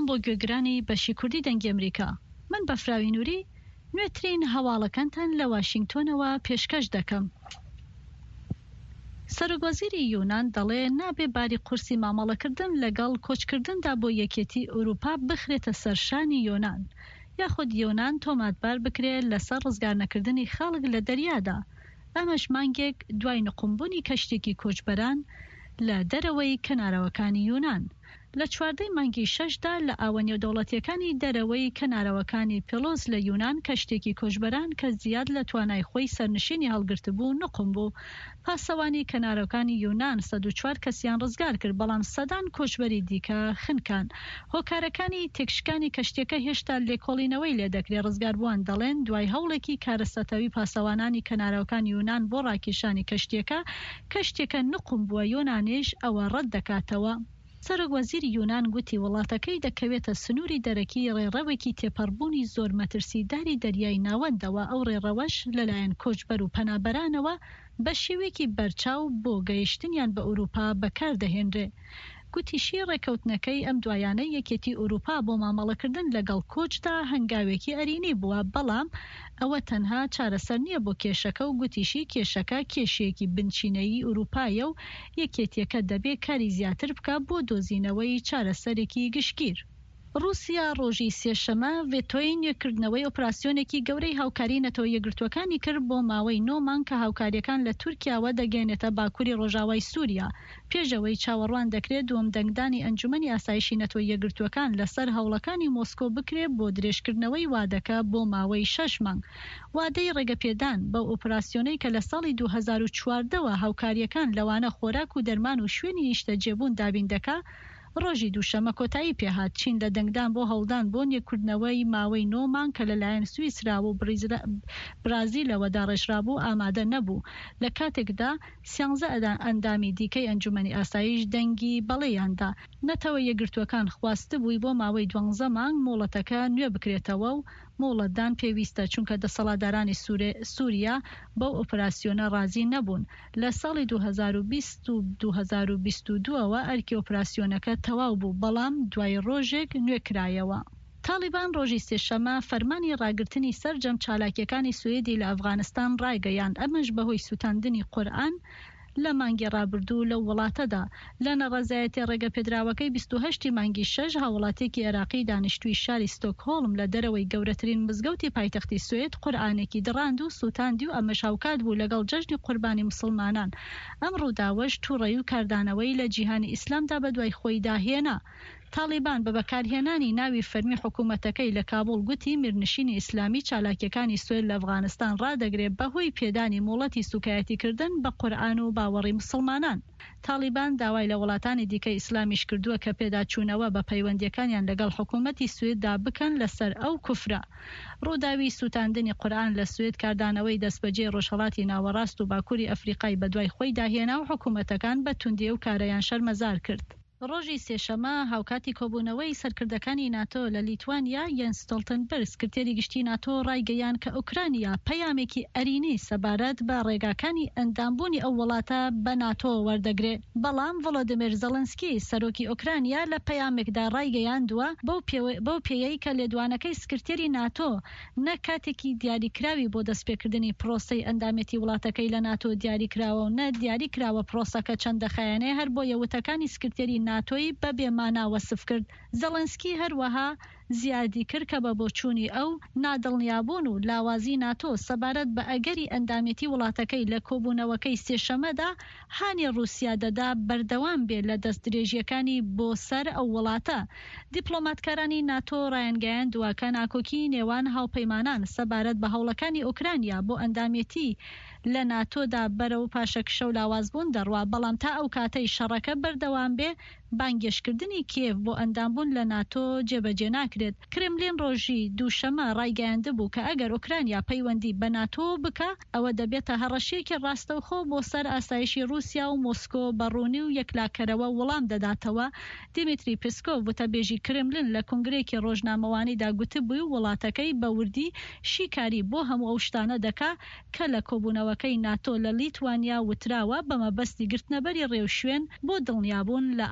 بۆ گوێگرانی بەشی کوردی دەنگی ئەمریکا. من بەفراوی نوری نوێترین هەواڵەکانتان لە واشینگتۆنەوە پێشکەش دەکەم. سەرۆکوەزیری یونان دەڵێ نابێ باری قورسی مامەڵەکردن لەگەڵ کۆچکردندا بۆ یەکێتی ئەوروپا بخرێتە سەر شانی یۆنان یاخود یۆنان تۆماتبار بکرێ لەسەر ڕزگارنەکردنی خەڵک لە دەریادا ئەمەش مانگێک دوای نقومبوونی کەشتێکی کۆچبەران لە دەرەوەی کەنارەوەکانی یونان. لە چواردەی مانگی شەشدا لە ئاوە نێودەوڵەتییەکانی دەرەوەی کەنارەوەکانی پیڵۆس لە یونان کەشتێکی کۆچبەران کە زیاد لە توانای خۆی سەرنشینی هەڵگرتبوو نقوم بوو. پاسەوانی کەنارەوکانی یونان 104 کەسیان ڕزگار کرد، بەڵام سەدان کۆچبەری دیکە خنکان. هۆکارەکانی تێکشکانی کەشتیەکە هێشتا لێکۆڵینەوەی لێدەکرێت، ڕزگاربووان دەڵێن دوای هەوڵێکی کارەساتاوی پاسەوانانی کەناراوەکانی یونان بۆ ڕاکێشانی کەشتیەکە، کەشتیەکە نوقم بووە، یۆنانیش ئەوە ڕەتدەکاتەوە. سەرۆک وەزیری یونان گوتی وڵاتەکەی دەکەوێتە سنووری دەرەکی ڕێڕەوێکی تێپەڕبوونی زۆر مەترسیداری دەریای ناوەندەوە، ئەو ڕێڕەوەش لەلایەن کۆچبەر و پەنابەرانەوە بە شێوەیەکی بەرچاو بۆ گەیشتنیان بە ئەوروپا بەکاردەهێنرێ. گوتیشی ڕێککەوتنەکەی ئەم دوایانەی یەکێتی ئەوروپا بۆ مامەڵەکردن لەگەڵ کۆچدا هەنگاوێکی ئەرینی بووە، بەڵام ئەوە تەنها چارەسەر نییە بۆ کێشەکە و گوتیشی کێشەکە کێشەیەکی بنچینەیی ئەوروپایە و یەکێتییەکە دەبێ کاری زیاتر بکا بۆ دۆزینەوەی چارەسەرێکی گشتگیر. ڕووسیا ڕۆژی سێشەمە ڤێتۆی نوێکردنەوەی ئۆپراسیۆنێکی گەورەی هاوکاری نەتەوە یەکگرتووەکانی کرد بۆ ماوەی نۆ مانگ کە هاوکارییەکان لە تورکیاوە دەگەیەنێتە باکووری ڕۆژاوای سووریا پێش ئەوەی چاوەڕوان دەکرێت دووەم دەنگدانی ئەنجومەنی ئاسایشی نەتەوە یەکگرتووەکان لەسەر هەوڵەکانی مۆسکۆ بکرێت بۆ درێژکردنەوەی وادەکە بۆ ماوەی شەش مانگ وادەی ڕێگەپێدان بەو ئۆپراسیۆنەی کە لە ساڵی 2014 وە هاوکارییەکان لەوانە خۆراک و دەرمان و شوێنی نیشتەجێبوون دابین دەکا ڕۆژی دووشەممە کۆتایی پێهات، چین لە دەنگدان بۆ هەوڵدان بۆ نوێکردنەوەی ماوەی نۆ مانگ کە لەلایەن سویسرا و برازیلەوە داڕێژرابوو ئامادە نەبوو، لە کاتێکدا سیانزە ئەندامی دیکەی ئەنجومەنی ئاسایش دەنگی بەڵێیان دا. نەتەوە یەکگرتووەکان خواستبووی بۆ ماوەی دوانزە مانگ مۆڵەتەکە نوێ بکرێتەوە و مۆڵەتدان پێویستە، چونکە دەسەڵاتدارانی سوریا بەو ئۆپراسیۆنە ڕازی نەبوون. لە ساڵی 2020 و 2022 ەوە ئەرکی ئۆپراسیۆنەکە تەواو بوو، بەڵام دوای ڕۆژێک نوێکرایەوە. تاڵیبان ڕۆژی سێشەممە فەرمانی ڕاگرتنی سەرجەم چالاکییەکانی سویدی لە ئەفغانستان ڕایگەیاند، ئەمەش بەهۆی سوتاندنی قورئان لە مانگی ڕابردوو لەو وڵاتەدا. لە ناڕەزایەتیە ڕێگەپێدراوەکەی 28 ی مانگی شەش، هاووڵاتییەکی عێراقی دانیشتووی شاری ستۆکهۆڵم لە دەرەوەی گەورەترین مزگەوتی پایتەختی سوێد قورئانێکی دڕاند و سووتاندی و ئەمەش هاوکات بوو لەگەڵ جەژنی قوربانی موسڵمانان. ئەم ڕووداوەش تووڕەیی و کاردانەوەی لە جیهانی ئیسلامدا بەدوای خۆیدا هێنا. تاڵیبان بە بەکارهێنانی ناوی فەرمی حکومەتەکەی لە کابوڵ گوتی میرنشینی ئیسلامی چالاکیەکانی سوێد لە ئەفغانستان ڕادەگرێ بەهۆی پێدانی مۆڵەتی سوکایەتیکردن بە قورئان و باوەڕی موسڵمانان. تاڵیبان داوای لە وڵاتانی دیکەی ئیسلامیش کردووە کە پێداچوونەوە بە پەیوەندیەکانیان لەگەڵ حکومەتی سویددا بکەن لەسەر ئەو کوفرە. ڕووداوی سوتاندنی قورئان لە سوید کاردانەوەی دەستبەجێی ڕۆژهەڵاتی ناوەڕاست و باکوری ئەفریقای بەدوای خۆیدا هێنا و حکومەتەکان بە توندی ئەو کارەیان شەرمەزار کرد. ڕۆژی سێشەممە هاوکاتی کۆبوونەوەی سەرکردەکانی ناتۆ لە لیتوانیا، یەنس ستۆڵتنبرگ سکرتێری گشتی ناتۆ ڕایگەیاند کە ئۆکرانیا پەیامێکی ئەرینی سەبارەت بە ڕێگاکانی ئەندامبوونی ئەو وڵاتە بە ناتۆ وەردەگرێ. بەڵام ڤۆلۆدیمێر زێڵێنسکی سەرۆکی ئۆکرانیا لە پەیامێکدا ڕایگەیاندووە بەو پێیەی کە لێدوانەکەی سکرتێری ناتۆ نە کاتێکی دیاریکراوی بۆ دەستپێکردنی پرۆسەی ئەندامێتی وڵاتەکەی لە ناتۆ دیاریکراوە و نە دیاریکراوە پرۆسەکە چەند دەخایەنێ، هەربۆیە وتەکانی سکرتێری ناتۆی بە بێ مانا وەسف کرد. زێڵێنسکی هەروەها زیادی کرد کە بە بۆچوونی ئەو، نادڵنیابوون و لاوازی ناتۆ سەبارەت بە ئەگەری ئەندامێتی وڵاتەکەی لە کۆبوونەوەکەی سێشەممەدا هانی ڕووسیا دەدا بەردەوام بێ لە دەستدرێژییەکانی بۆ سەر ئەو وڵاتە. دیپلۆماتکارانی ناتۆ ڕایانگەیاندووە کە ناکۆکیی نێوان هاوپەیمانان سەبارەت بە هەوڵەکانی ئۆکرانیا بۆ ئەندامێتی لە ناتۆدا بەرەو پاشەکشە و لاوازبوون دەڕوا، بەڵام تا ئەو کاتەی شەڕەکە بەردەوام بێ بانگێشتکردنی کیێڤ بۆ ئەندامبوون لە ناتۆ جێبەجێ ناکرێت. کرملین ڕۆژی دووشەممە ڕایگەیاندبوو کە ئەگەر ئۆکرانیا پەیوەندی بە ناتۆوە بکا، ئەوە دەبێتە هەڕەشەیەکی ڕاستەوخۆ بۆ سەر ئاسایشی ڕووسیا و مۆسکۆ بە ڕوونی و یەکلاکەرەوە وڵام دەداتەوە. دیمیتری پسکۆڤ، وتەبێژی کرملن لە کۆنگرەیەکی ڕۆژنامەوانیدا گوتبووی وڵاتەکەی بە وردی شیکاری بۆ هەموو ئەو شتانە دەکا کە لە کۆبوونەوەکەی ناتۆ لە لیتوانیا وتراوە بە مەبەستی گرتنەبەری ڕێوشوێن بۆ دڵنیابوون لە.